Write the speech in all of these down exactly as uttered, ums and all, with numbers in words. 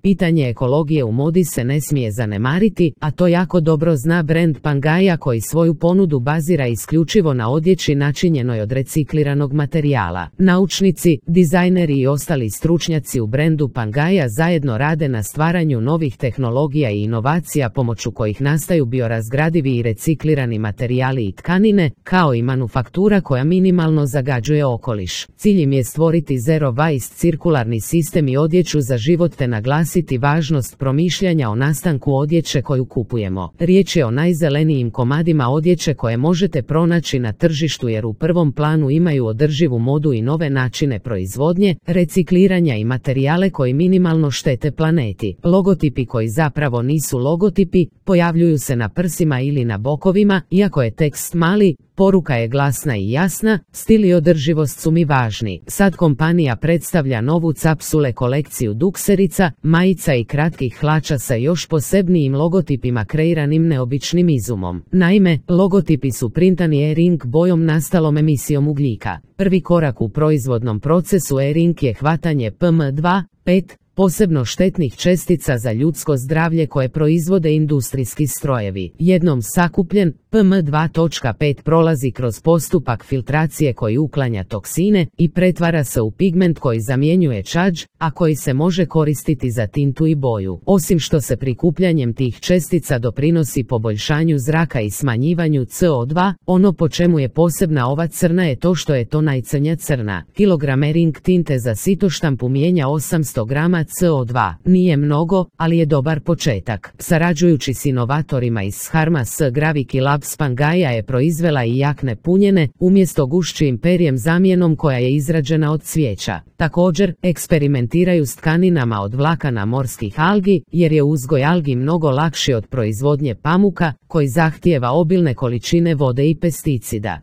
Pitanje ekologije u modi se ne smije zanemariti, a to jako dobro zna brend Pangaia koji svoju ponudu bazira isključivo na odjeći načinjenoj od recikliranog materijala. Naučnici, dizajneri i ostali stručnjaci u brendu Pangaia zajedno rade na stvaranju novih tehnologija i inovacija pomoću kojih nastaju biorazgradivi i reciklirani materijali i tkanine, kao i manufaktura koja minimalno zagađuje okoliš. Cilj im je stvoriti zero waste cirkularni sistem i odjeću za život te naglasiti važnost promišljanja o nastanku odjeće koju kupujemo. Riječ je o najzelenijim komadima odjeće koje možete pronaći na tržištu jer u prvom planu imaju održivu modu i nove načine proizvodnje, recikliranja i materijale koji minimalno štete planeti. Logotipi koji zapravo nisu logotipi, pojavljuju se na prsima ili na bokovima, iako je tekst mali, poruka je glasna i jasna, stil i održivost su mi važni. Sad kompanija predstavlja novu capsule kolekciju dukserica, majica i kratkih hlača sa još posebnijim logotipima kreiranim neobičnim izumom. Naime, logotipi su printani e-ink bojom nastalom emisijom ugljika. Prvi korak u proizvodnom procesu e-ink je hvatanje P M dva, pet, posebno štetnih čestica za ljudsko zdravlje koje proizvode industrijski strojevi. Jednom sakupljen, P M dva točka pet prolazi kroz postupak filtracije koji uklanja toksine i pretvara se u pigment koji zamjenjuje čađ, a koji se može koristiti za tintu i boju. Osim što se prikupljanjem tih čestica doprinosi poboljšanju zraka i smanjivanju C O dva, ono po čemu je posebna ova crna je to što je to najcrnja crna. Kilogram e-ink tinte za sitoštampu mijenja osamsto grama C O dva. Nije mnogo, ali je dobar početak. Sarađujući s inovatorima iz Harma S Gravity Labs, Pangaia je proizvela i jakne punjene, umjesto gušćim perjem zamjenom koja je izrađena od cvijeća. Također, eksperimentiraju s tkaninama od vlakana morskih algi, jer je uzgoj algi mnogo lakši od proizvodnje pamuka, koji zahtijeva obilne količine vode i pesticida.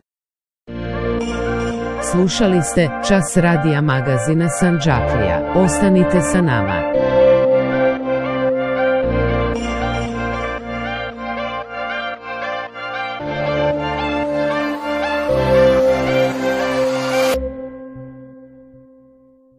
Slušali ste Čas radija magazina Sandžaklija. Ostanite sa nama.